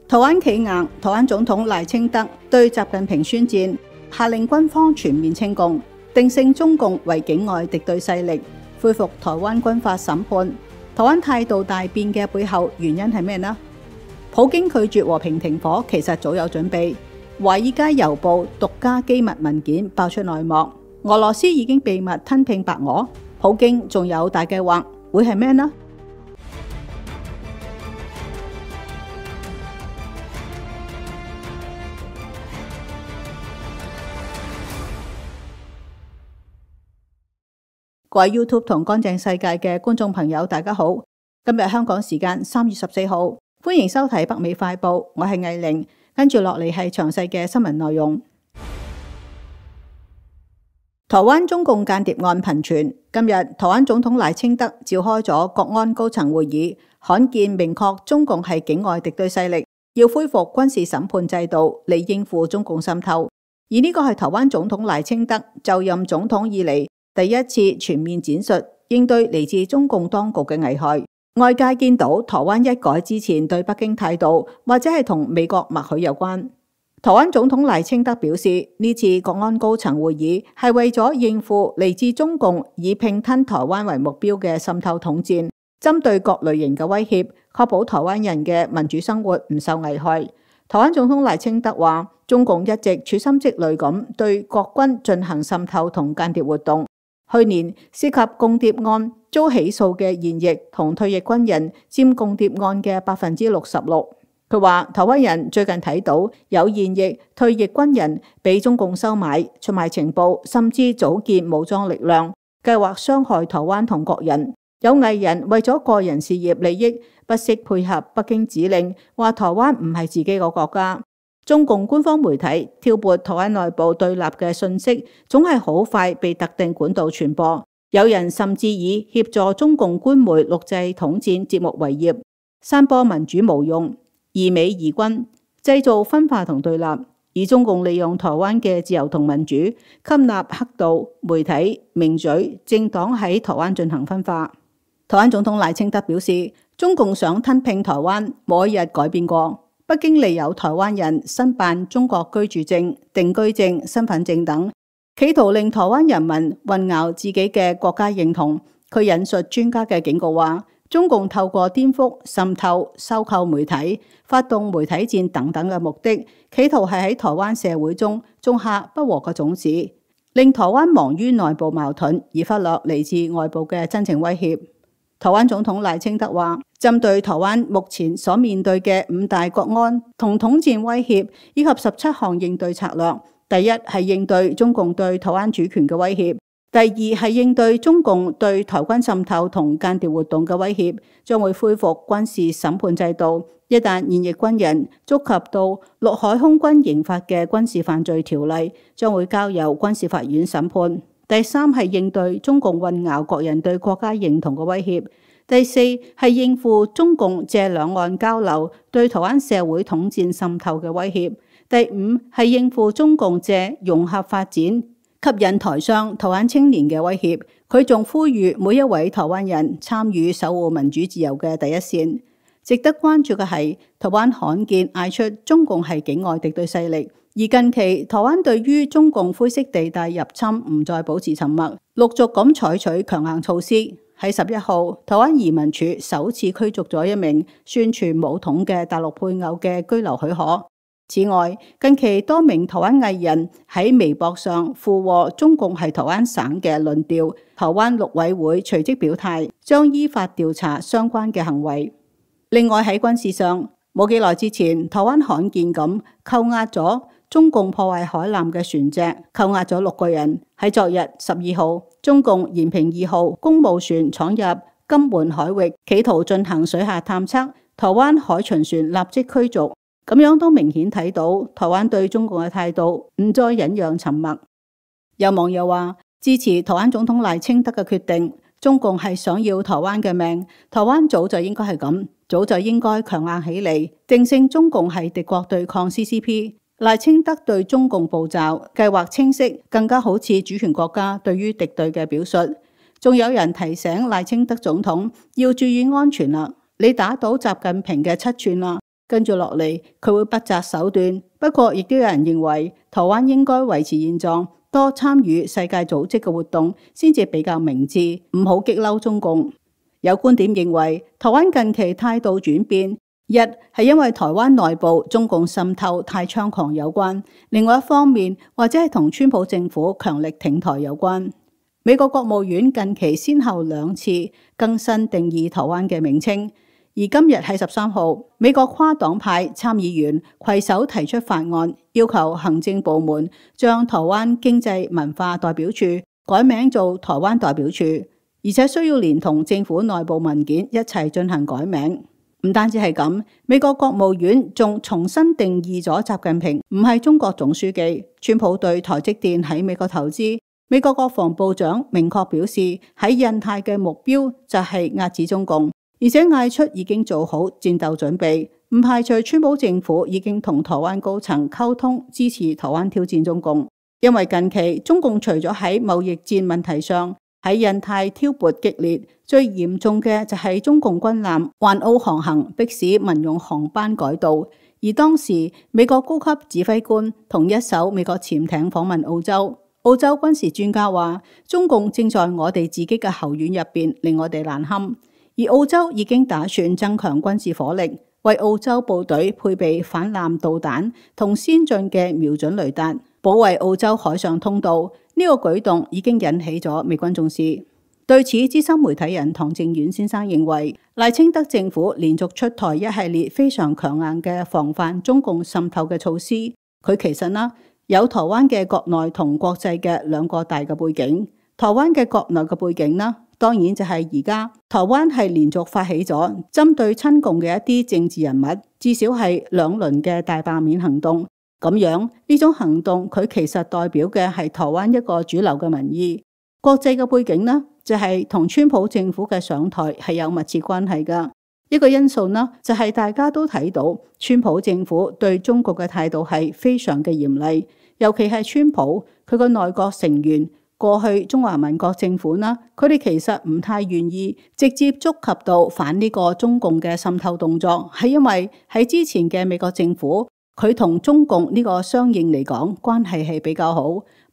台灣企硬，台灣總統賴清德對習近平宣戰，下令軍方全面清共，定性中共為境外敵對勢力，恢復台灣軍法審判。台灣態度大變嘅背後原因係咩呢？普京拒絕和平停火，其實早有準備。華爾街郵報獨家機密文件爆出內幕，俄羅斯已經秘密吞併白俄，普京仲有大計劃，會係咩呢？各位 YouTube 同乾淨世界嘅觀眾朋友，大家好。今日香港時間3月14號，歡迎收睇北美快報，我係藝玲。跟住落嚟係詳細嘅新聞內容。台灣中共間諜案頻傳，今日台灣總統賴清德召開咗國安高層會議，罕見明確中共係境外敵對勢力，要恢復軍事審判制度嚟應付中共滲透。而呢個係台灣總統賴清德就任總統以嚟第一次全面展述應對嚟自中共當局嘅危害。外界見到台灣一改之前對北京態度，或者係同美國默許有關。台灣總統賴清德表示，呢次國安高層會議係為咗應付嚟自中共以併吞台灣為目標嘅滲透統戰，針對各類型嘅威脅，確保台灣人嘅民主生活唔受危害。台灣總統賴清德話，中共一直處心積慮咁對國軍進行滲透同間諜活動。去年涉及共諜案遭起訴嘅現役同退役軍人佔共諜案嘅66%。佢話台灣人最近睇到有現役退役軍人被中共收買、出賣情報，甚至組建武裝力量，計劃傷害台灣同國人。有藝人為咗個人事業利益，不惜配合北京指令，話台灣唔係自己個國家。中共官方媒體挑撥台灣內部對立嘅訊息，總係好快被特定管道傳播。有人甚至以協助中共官媒錄製統戰節目為業，散播民主無用、疑美疑君，製造分化同對立。而中共利用台灣嘅自由同民主，吸納黑道、媒體、名嘴、政黨喺台灣進行分化。台灣總統賴清德表示，中共想吞併台灣，冇一日改變過。北京利誘台灣人申辦中國居住證、定居證、身份證等，企圖令台灣人民混淆自己嘅國家認同。佢引述專家嘅警告話，中共透過顛覆、滲透、收購媒體、發動媒體戰等等嘅目的，企圖係喺台灣社會中種下不和嘅種子，令台灣忙於內部矛盾，而忽略嚟自外部嘅真正威脅。台灣總統賴清德話，針對台灣目前所面對嘅5大國安同統戰威脅，以及17項應對策略，第一係應對中共對台灣主權嘅威脅，第二係應對中共對台軍滲透同間諜活動嘅威脅，將會恢復軍事審判制度。一旦現役軍人觸及到陸海空軍刑法嘅軍事犯罪條例，將會交由軍事法院審判。第三係應對中共混淆國人對國家認同嘅威脅。第四係應付中共借兩岸交流對台灣社會統戰滲透嘅威脅。第五係應付中共借融合發展吸引台商、台灣青年嘅威脅。佢仲呼籲每一位台灣人參與守護民主自由嘅第一線。值得關注嘅係，台灣罕見嗌出中共係境外敵對勢力。而近期台灣對於中共灰色地帶入侵唔再保持沉默，陸續咁採取強硬措施。喺11號，台灣移民署首次驅逐咗一名宣傳武統嘅大陸配偶嘅居留許可。此外，近期多名台灣藝人喺微博上附和中共係台灣省嘅論調，台灣陸委會隨即表態，將依法調查相關嘅行為。另外喺軍事上，冇幾耐之前，台灣罕見咁扣押咗中共破壞海艦嘅船隻，扣押咗6個人。喺昨日12號，中共延平2號公務船闖入金門海域，企圖進行水下探測，台灣海巡船立即驅逐。咁樣都明顯睇到台灣對中共嘅態度唔再忍讓沉默。有網友話支持台灣總統賴清德嘅決定，中共係想要台灣嘅命，台灣早就應該係咁，早就應該強硬起嚟，定性中共係敵國對抗 CCP。賴清德對中共步驟計劃清晰，更加好似主權國家對於敵對嘅表述。仲有人提醒賴清德總統要注意安全啦，你打倒習近平嘅7寸啦，跟住落嚟佢會不擇手段。不過亦都有人認為台灣應該維持現狀，多參與世界組織嘅活動先至比較明智，唔好激嬲中共。有觀點認為台灣近期態度轉變，一係因為台灣內部中共滲透太猖狂有關，另外一方面或者係同川普政府強力挺台有關。美國國務院近期先後2次更新定義台灣嘅名稱，而今日喺13號，美國跨黨派參議員攜手提出法案，要求行政部門將台灣經濟文化代表處改名做台灣代表處，而且需要連同政府內部文件一齊進行改名。唔單止係咁，美國國務院仲重新定義咗習近平唔係中國總書記。川普對台積電喺美國投資，美國國防部長明確表示喺印太嘅目標就係壓制中共，而且嗌出已經做好戰鬥準備，唔排除川普政府已經同台灣高層溝通支持台灣挑戰中共。因為近期中共除咗喺貿易戰問題上喺印太挑撥激烈，最嚴重嘅就係中共軍艦環澳航行，迫使民用航班改道。而當時美國高級指揮官同一艘美國潛艇訪問澳洲，澳洲軍事專家話中共正在我哋自己嘅後院入邊令我哋難堪，而澳洲已經打算增強軍事火力，為澳洲部隊配備反艦導彈同先進嘅瞄準雷達，保衛澳洲海上通道。呢個舉動已經引起咗美軍重視。對此，資深媒體人唐正遠先生認為，賴清德政府連續出台一系列非常強硬嘅防範中共滲透嘅措施。佢其實有台灣嘅國內同國際嘅2個大嘅背景。台灣嘅國內嘅背景當然就係而家台灣係連續發起咗針對親共嘅一啲政治人物，至少係2輪嘅大罷免行動。咁樣呢種行動佢其實代表嘅係台灣一個主流嘅民意。國際嘅背景就係同川普政府嘅上台係有密切關係㗎。一個因素就係大家都睇到川普政府對中國嘅態度係非常嘅嚴厲，尤其係川普佢個內閣成員，過去中華民國政府佢哋其實唔太願意直接觸及到反呢個中共嘅滲透動作，係因為喺之前嘅美國政府，佢同中共呢個相應嚟講關係係比較好，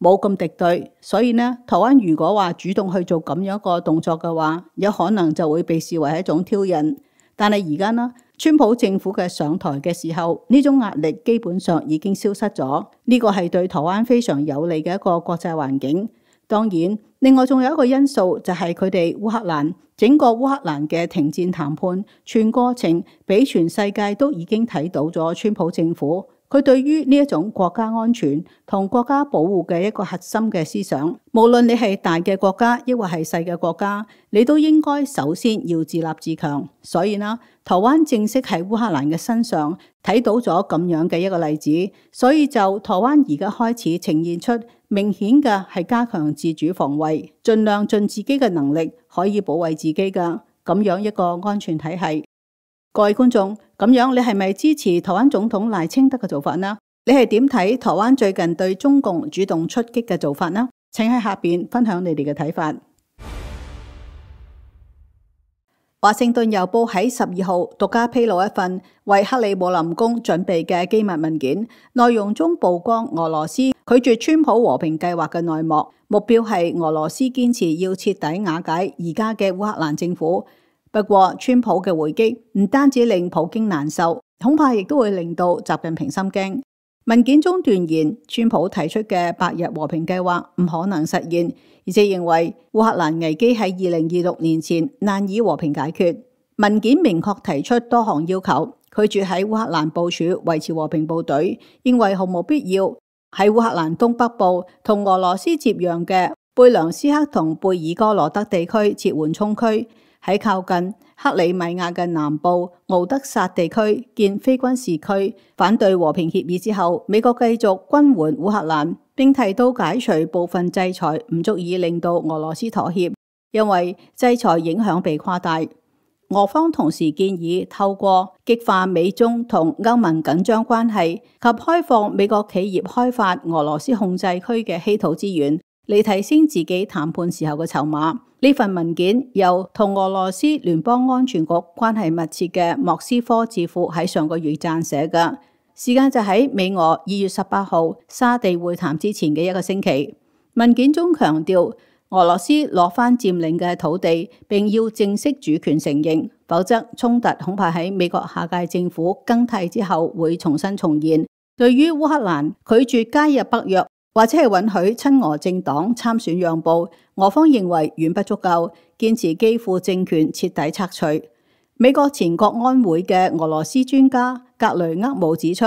冇咁敵對，所以台灣如果話主動去做咁樣一個動作嘅話，有可能就會被視為係一種挑釁。但係而家川普政府嘅上台嘅時候，呢種壓力基本上已經消失咗，呢個係對台灣非常有利嘅一個國際環境。當然，另外仲有一個因素就係佢哋烏克蘭整個烏克蘭嘅停戰談判全過程，俾全世界都已經睇到咗川普政府佢對於呢一種國家安全同國家保護嘅一個核心嘅思想。無論你係大嘅國家抑或係細嘅國家，你都應該首先要自立自強。所以台灣正式喺烏克蘭嘅身上睇到咗咁樣嘅一個例子，所以就台灣而家開始呈現出明顯嘅係加強自主防衛，盡量盡自己嘅能力可以保衛自己嘅咁樣一個安全體系。各位觀眾，咁樣你係咪支持台灣總統賴清德嘅做法呢？你係點睇台灣最近對中共主動出擊嘅做法呢？請喺下邊分享你哋嘅睇法。華盛頓郵報喺12號獨家披露一份為克里姆林宮準備嘅機密文件，內容中曝光俄羅斯拒絕川普和平計劃嘅內幕，目標係俄羅斯堅持要徹底瓦解而家嘅烏克蘭政府。不過，川普嘅回擊唔單止令普京難受，恐怕亦都會令到習近平心驚。文件中斷言，川普提出嘅百日和平計劃唔可能實現，而且認為烏克蘭危機喺2026年前難以和平解決。文件明確提出多項要求，拒絕喺烏克蘭部署維持和平部隊，認為毫無必要。喺烏克蘭東北部同俄羅斯接壤嘅貝良斯克同貝爾哥羅德地區設緩衝區。喺靠近克里米亞嘅南部敖德薩地區建非軍事區。反對和平協議之後，美國繼續軍援烏克蘭，並提到解除部分制裁唔足以令到俄羅斯妥協，因為制裁影響被誇大。俄方同時建議透過激化美中同歐盟緊張關係及開放美國企業開發俄羅斯控制區嘅稀土資源，嚟提升自己談判時候嘅籌碼。呢份文件由同俄羅斯聯邦安全局關係密切嘅莫斯科智庫喺上個月撰寫嘅，時間就喺美俄2月18號沙地會談之前嘅一個星期。文件中強調，俄羅斯攞返佔領嘅土地，並要正式主權承認，否則衝突恐怕喺美國下屆政府更替之後會重新重現。對於烏克蘭拒絕加入北約，或者係允許親俄政黨參選讓步，俄方認為遠不足夠，堅持基輔政權徹底拆除。美國前國安會嘅俄羅斯專家格雷厄姆指出，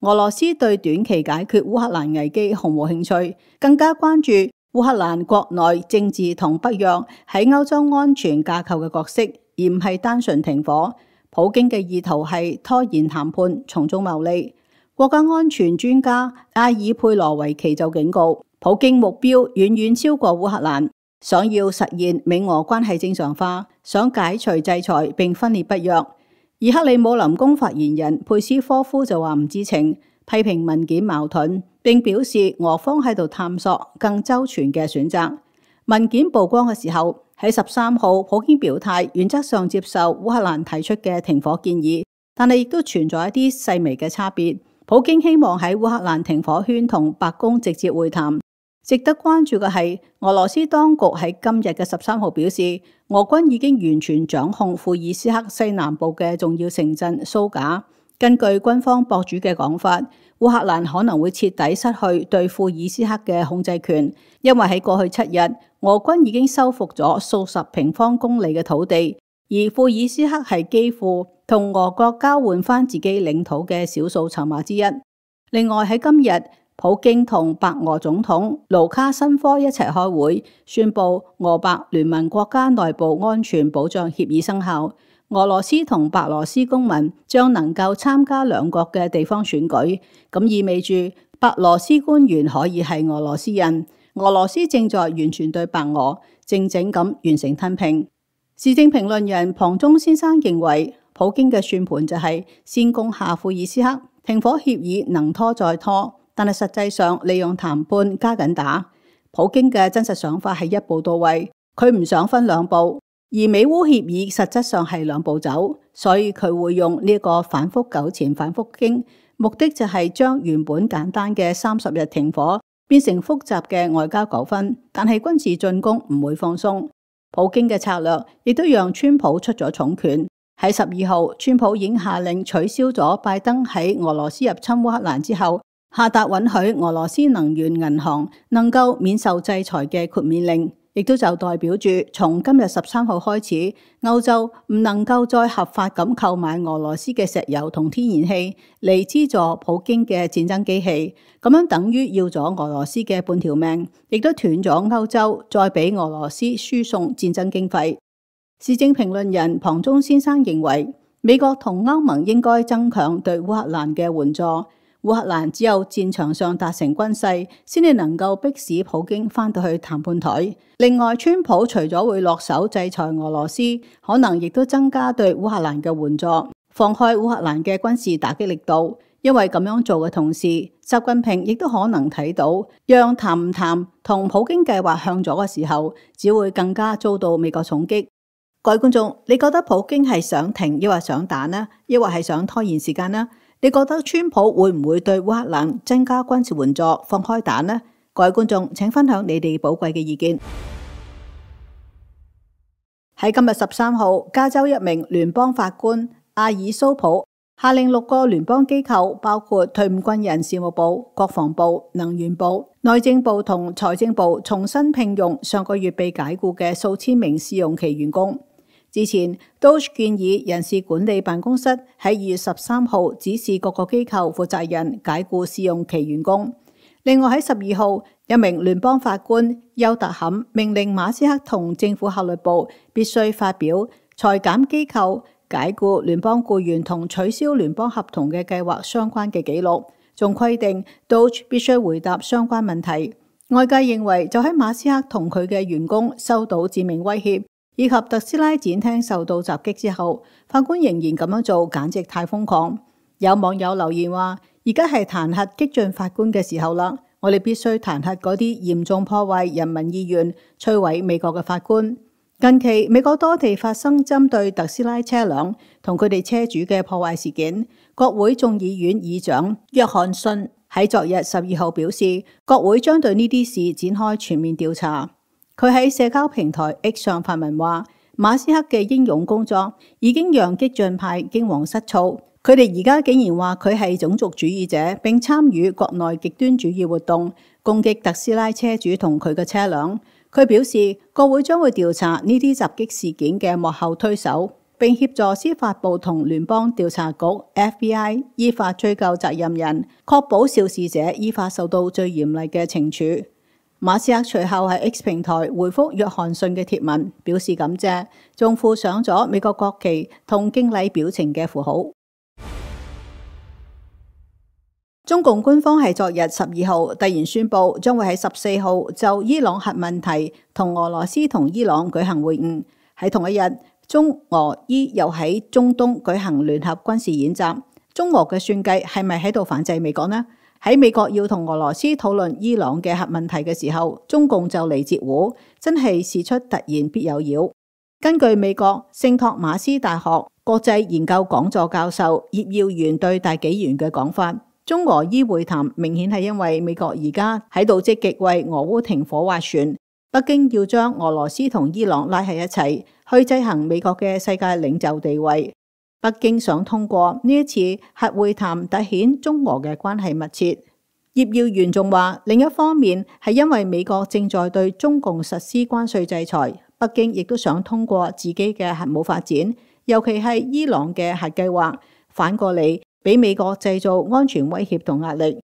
俄羅斯對短期解決烏克蘭危機毫無興趣，更加關注烏克蘭國內政治同北約喺歐洲安全架構嘅角色，而唔係單純停火。普京嘅意圖係拖延談判，從中牟利。國家安全專家阿爾佩羅維奇就警告，普京目標遠遠超過烏克蘭，想要實現美俄關係正常化，想解除制裁並分裂北約。而克里姆林宮發言人佩斯科夫就話唔知情，批評文件矛盾，並表示俄方喺度探索更周全嘅選擇。文件曝光嘅時候，喺13號，普京表態原則上接受烏克蘭提出嘅停火建議，但係亦都存在一啲細微嘅差別。普京希望喺烏克蘭停火圈同白宮直接會談。值得關注嘅係，俄羅斯當局喺今日嘅13號表示，俄軍已經完全掌控庫爾斯克西南部嘅重要城鎮蘇賈。根據軍方博主嘅講法，烏克蘭可能會徹底失去對庫爾斯克嘅控制權，因為喺過去7日，俄軍已經收復咗數十平方公里嘅土地，而庫爾斯克係幾乎同俄國交換返自己領土嘅少數籌碼之一。另外喺今日，普京同白俄總統盧卡申科一齊開會，宣布俄白聯盟國家內部安全保障協議生效。俄羅斯同白羅斯公民將能夠參加兩國嘅地方選舉，咁意味住白羅斯官員可以係俄羅斯人。俄羅斯正在完全對白俄靜靜咁完成吞併。時政評論人龐中先生認為，普京嘅算盤就係先攻下庫爾斯克，停火協議能拖再拖，但係實際上利用談判加緊打。普京嘅真實想法係一步到位，佢唔想分兩步，而美烏協議實質上係兩步走，所以佢會用呢個反覆糾纏反覆傾，目的就係將原本簡單嘅30日停火變成複雜嘅外交糾紛，但係軍事進攻唔會放鬆。普京嘅策略亦都讓川普出咗重拳。喺12號，川普已經下令取消咗拜登喺俄羅斯入侵烏克蘭之後下達允許俄羅斯能源銀行能夠免受制裁嘅豁免令，亦都就代表住從今日13號開始，歐洲唔能夠再合法咁購買俄羅斯嘅石油同天然氣嚟資助普京嘅戰爭機器，咁樣等於要咗俄羅斯嘅半條命，亦都斷咗歐洲再俾俄羅斯輸送戰爭經費。時政評論人龐中先生認為，美國同歐盟應該增強對烏克蘭嘅援助。烏克蘭只有戰場上達成軍勢，先至能夠迫使普京返到去談判台。另外，川普除咗會落手制裁俄羅斯，可能亦都增加對烏克蘭嘅援助，放開烏克蘭嘅軍事打擊力度。因為咁樣做嘅同時，習近平亦都可能睇到，讓談唔談同普京計劃向左嘅時候，只會更加遭到美國重擊。各位觀眾，你覺得普京係想停，抑或想打呢？抑或係想拖延時間呢？你覺得川普會唔會對烏克蘭增加軍事援助、放開打呢？各位觀眾，請分享你哋寶貴嘅意見。喺今日13號，加州一名聯邦法官阿爾蘇普下令6個聯邦機構，包括退伍軍人事務部、國防部、能源部、內政部同財政部，重新聘用上個月被解僱嘅數千名試用期員工。之前 DOGE 建議人事管理辦公室喺2月13號指示各個機構負責人解僱試用期員工。另外喺12號，一名聯邦法官邱特坎命令馬斯克同政府效率部必須發表裁減機構解僱聯邦僱員同取消聯邦合同嘅計劃相關嘅記錄，仲規定 DOGE 必須回答相關問題。外界認為，就喺馬斯克同佢嘅員工收到致命威脅，以及特斯拉展廳受到襲擊之後，法官仍然咁樣做，簡直太瘋狂。有網友留言話：而家係彈劾激進法官嘅時候啦，我哋必須彈劾嗰啲嚴重破壞人民意願、摧毀美國嘅法官。近期美國多地發生針對特斯拉車輛同佢哋車主嘅破壞事件。國會眾議院議長約翰遜喺昨日12號表示，國會將對呢啲事展開全面調查。佢喺社交平台 X 上發文話，馬斯克嘅英勇工作已經讓激進派驚惶失措。佢哋而家竟然話佢係種族主義者，並參與國內極端主義活動，攻擊特斯拉車主同佢嘅車輛。佢表示，國會將會調查呢啲襲擊事件嘅幕後推手，並協助司法部同聯邦調查局 FBI 依法追究責任人，確保肇事者依法受到最嚴厲嘅懲處。馬斯克隨後喺 X 平台回覆約翰遜嘅貼文，表示感謝，仲附上咗美國國旗同敬禮表情嘅符號。中共官方喺昨日12號突然宣布，將會喺14號就伊朗核問題同俄羅斯同伊朗舉行會晤。喺同一日，中俄伊又喺中東舉行聯合軍事演習。中俄嘅算計係咪喺度反制美國呢？喺美國要同俄羅斯討論伊朗嘅核問題嘅時候，中共就嚟截胡，真係事出突然必有妖。根據美國聖托馬斯大學國際研究講座教授葉耀元對大紀元嘅講法，中俄伊會談明顯係因為美國而家喺度積極為俄烏停火斡旋，北京要將俄羅斯同伊朗拉喺一齊，去制衡美國嘅世界領袖地位。北京想通過呢一次核會談凸顯中俄嘅關係密切。葉耀元仲話，另一方面係因為美國正在對中共實施關稅制裁，北京亦都想通過自己嘅核武發展，尤其係伊朗嘅核計劃，反過嚟俾美國製造安全威脅同壓力。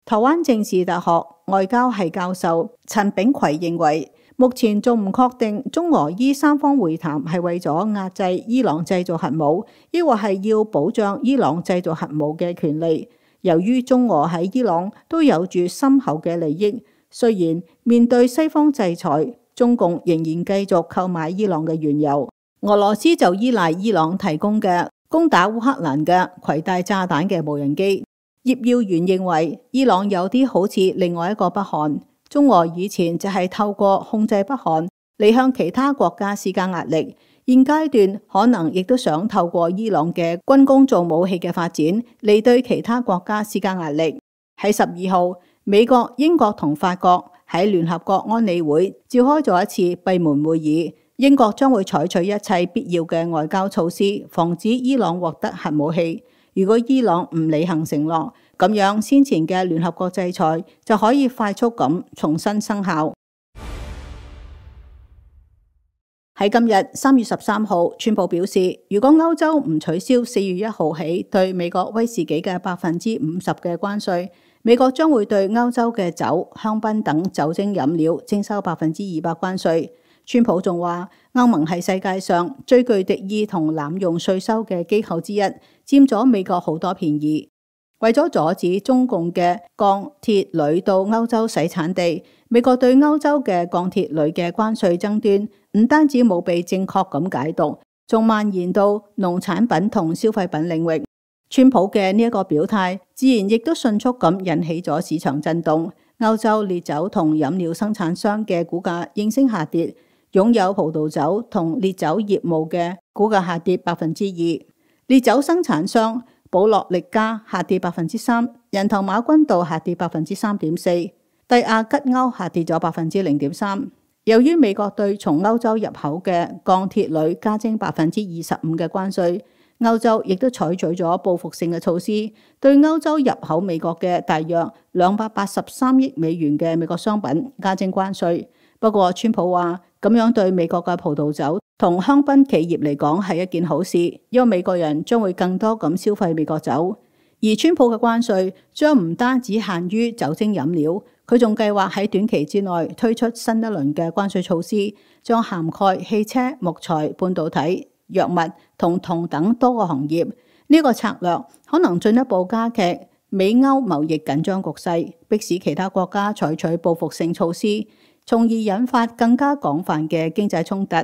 台灣政治大學外交系教授陳炳奎認為，目前仲唔確定中俄伊三方會談係為咗壓制伊朗製造核武，抑或係要保障伊朗製造核武嘅權利。由於中俄喺伊朗都有住深厚嘅利益，雖然面對西方制裁，中共仍然繼續購買伊朗嘅原油，俄羅斯就依賴伊朗提供嘅攻打烏克蘭嘅攜帶炸彈嘅無人機。葉耀元認為，伊朗有啲好似另外一個北韓，中俄以前就係透過控制北韓嚟向其他國家施加壓力，現階段可能亦都想透過伊朗嘅軍工做武器嘅發展嚟對其他國家施加壓力。喺12號，美國、英國同法國喺聯合國安理會召開咗一次閉門會議，英國將會採取一切必要嘅外交措施，防止伊朗獲得核武器。如果伊朗唔履行承諾，咁樣先前嘅聯合國制裁就可以快速咁重新生效。喺今日3月13號，川普表示，如果歐洲唔取消4月1號起對美國威士忌嘅50%嘅關稅，美國將會對歐洲嘅酒、香檳等酒精飲料徵收200%關稅。川普仲話，歐盟係世界上最具敵意同濫用稅收嘅機構之一，佔咗美國好多便宜。為咗阻止中共嘅鋼鐵鋁到歐洲洗產地，美國對歐洲嘅鋼鐵鋁嘅關稅爭端唔單止冇被正確咁解讀，仲蔓延到農產品同消費品領域。川普嘅呢一個表態，自然亦都迅速咁引起咗市場震動。歐洲烈酒同飲料生產商嘅股價應聲下跌，擁有葡萄酒同烈酒業務嘅股價下跌2%，烈酒生產商保樂力加下跌3%，人頭馬君道下跌3.4%，帝亞吉歐下跌咗0.3%。由於美國對從歐洲入口嘅鋼鐵鋁加徵25%嘅關稅，歐洲亦都採取咗報復性嘅措施，對歐洲入口美國嘅大約283億美元嘅美國商品加徵關稅。不過，川普話咁樣對美國嘅葡萄酒同香檳企業嚟講係一件好事，因為美國人將會更多咁消費美國酒。而川普嘅關稅將唔單止限於酒精飲料，佢仲計劃喺短期之內推出新一輪嘅關稅措施，將涵蓋汽車、木材、半導體、藥物同銅等多個行業。呢個策略可能進一步加劇美歐貿易緊張局勢，迫使其他國家採取報復性措施，從而引發更加廣泛嘅經濟衝突。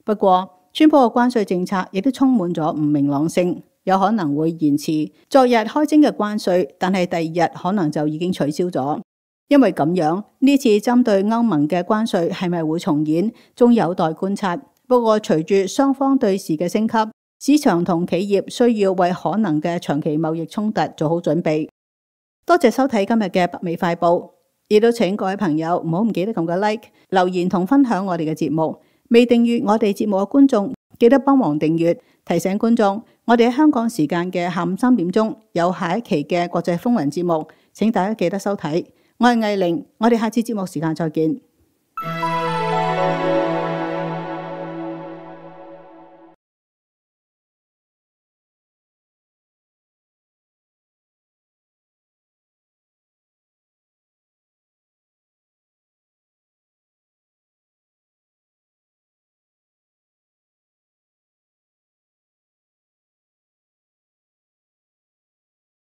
不過，川普嘅關稅政策亦都充滿咗唔明朗性，有可能會延遲昨日開徵嘅關稅，但係第二日可能就已經取消咗。因為咁樣，呢次針對歐盟嘅關稅係咪會重演，仲有待觀察。不過隨住雙方對峙嘅升級，市場同企業需要為可能嘅長期貿易衝突做好準備。多謝收睇今日嘅北美快報，亦都請各位朋友唔好唔記得撳個 like、留言同分享我哋嘅節目。未訂閱我哋節目嘅觀眾，記得幫忙訂閱，提醒觀眾，我哋喺香港時間嘅下午3點鐘有下一期嘅國際風雲節目，請大家記得收睇。我係藝玲，我哋下次節目時間再見。